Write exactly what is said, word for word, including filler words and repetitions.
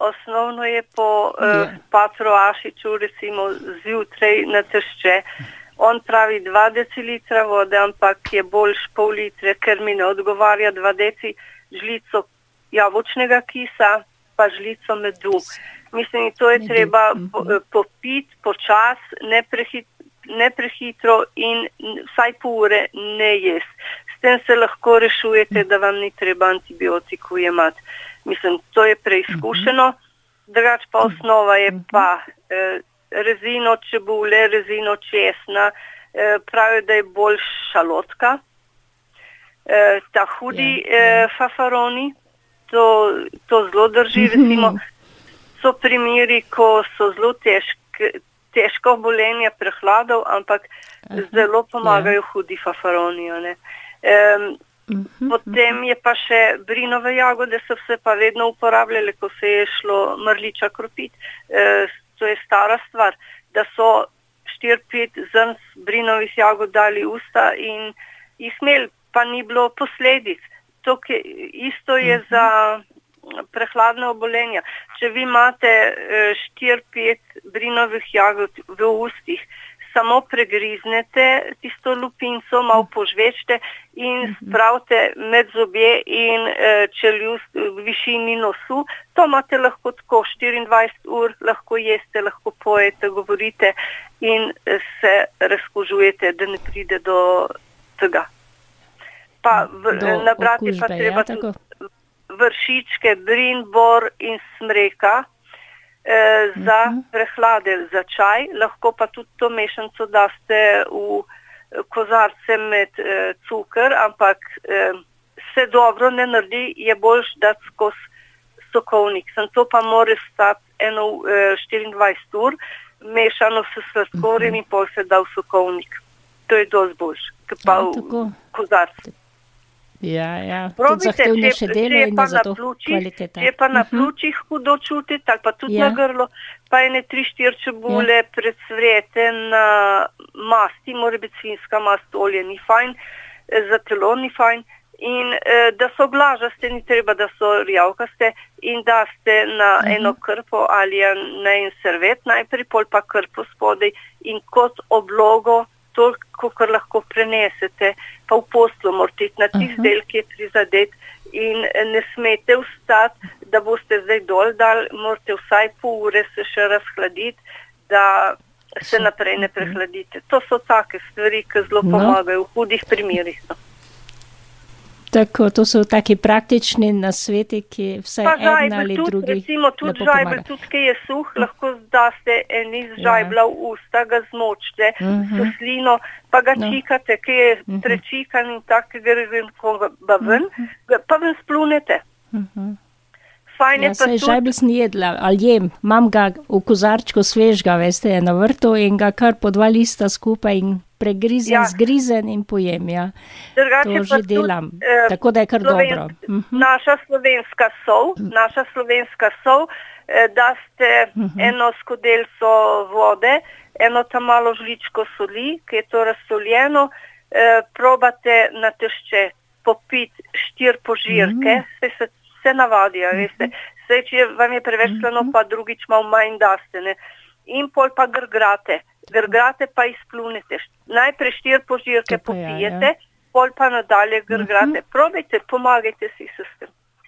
osnovno je po uh, Patru Ašiču recimo zjutraj na tešče. On pravi dva decilitra vode, ampak je boljš pol litre, ker mi ne odgovarja dva deci žlico jabolčnega kisa, pa žlico medu. Mislim, to je treba po, popiti počas, ne, prehit, ne prehitro in vsaj pol ure ne jesti. S tem se lahko rešujete, da vam ni treba antibiotiku jemati. Mislim, to je preizkušeno. Drugač pa osnova je pa eh, rezino čebule, rezino česna, eh, pravijo, da je bolj šalotka. Eh, ta hudi eh, fafaroni, to, to zelo drži, recimo, so primeri, ko so zelo težke, težko obolenja prehladov, ampak zelo pomagajo hudi fafaroni. Ne? Um, potem je pa še brinove jagode, so se pa vedno uporabljale, ko se je šlo mrliča kropiti. E, to je stara stvar, da so štiri pet zrnc brinovih jagod dali usta in jih imeli, pa ni bilo posledic. To, ke, isto je za prehladne obolenja. Če vi imate štiri pet brinovih jagod v ustih, samo pregriznete tisto lupinco, malo požvečte in spravite med zobje in e, čeljust v višini nosu. To imate lahko tako štiriindvajset ur, lahko jeste, lahko pojete, govorite in se razkužujete, da ne pride do tega. Pa v, do nabrati okužbe, pa treba ja, tudi vršičke, brin, bor in smreka. E, za prehlade, za čaj, lahko pa tudi to mešanico daste v kozarce med e, cukr, ampak e, se dobro ne naredi, je boljš dati skozi sokovnik. Sem to pa mora stati eno e, štiriindvajset ur, mešano s sladkorjem in pol se da v sokovnik. To je dosti boljš, kot pa v kozarce. Ja, ja. Probite, če, če je pa na pljučih, če je pa na pljučih hudo čutiti, ali pa tudi ja. Na grlo, pa ene tri štiri čebule ja. Predsvrete na masti, mora biti svinjska mast, olje ni fajn, za telo ni fajn, in eh, da so glažaste, ni treba, da so rjavkaste, in da ste na uh-huh. eno krpo ali na en servet najprej, pol pa krpo spodaj in kot oblogo toliko, kar lahko prenesete, pa v poslu morate iti na tist del, ki je prizadet in ne smete vstati, da boste zdaj dol dal, morate vsaj pol ure se še razhladiti, da se naprej ne prehladite. To so take stvari, ki zelo pomagajo v hudih primerih. No. Tako, to so taki praktični nasveti, ki vsaj ena ali tudi, drugi recimo tudi žajbel, tudi ki je suh, lahko daste en iz žajbla v usta, ga zmočite uh-huh. s slino, pa ga no. Čikate, ki je uh-huh. prečikan in tak, ki gre ven, ven uh-huh. pa ven splunete. Uh-huh. Fajn je ja, pa tudi... žajbel sem jedla, ali jem, imam ga v kozarčku svežga, veste, je na vrtu in ga kar po dva lista skupaj in pregrizen, ja. Zgrizen in pojem, ja. Drugače to že tudi, delam, eh, tako da je kar slovensk, dobro. Uh-huh. Naša slovenska sol, naša slovenska sol, eh, da ste uh-huh. eno skodelco vode, eno tam malo žličko soli, ki je to razsoljeno, eh, probate na tešče popiti štiri požirke, uh-huh. se, se, se navadijo, uh-huh. veste. Saj, če vam je preveč slano, uh-huh. pa drugič malo manj daste, ne. In pol pa grgrate. Grgrate pa izplunete. Najprej štiri požirke popijete, ja, ja. Pol pa nadalje grgrate. Uh-huh. Probajte, pomagajte si s tem.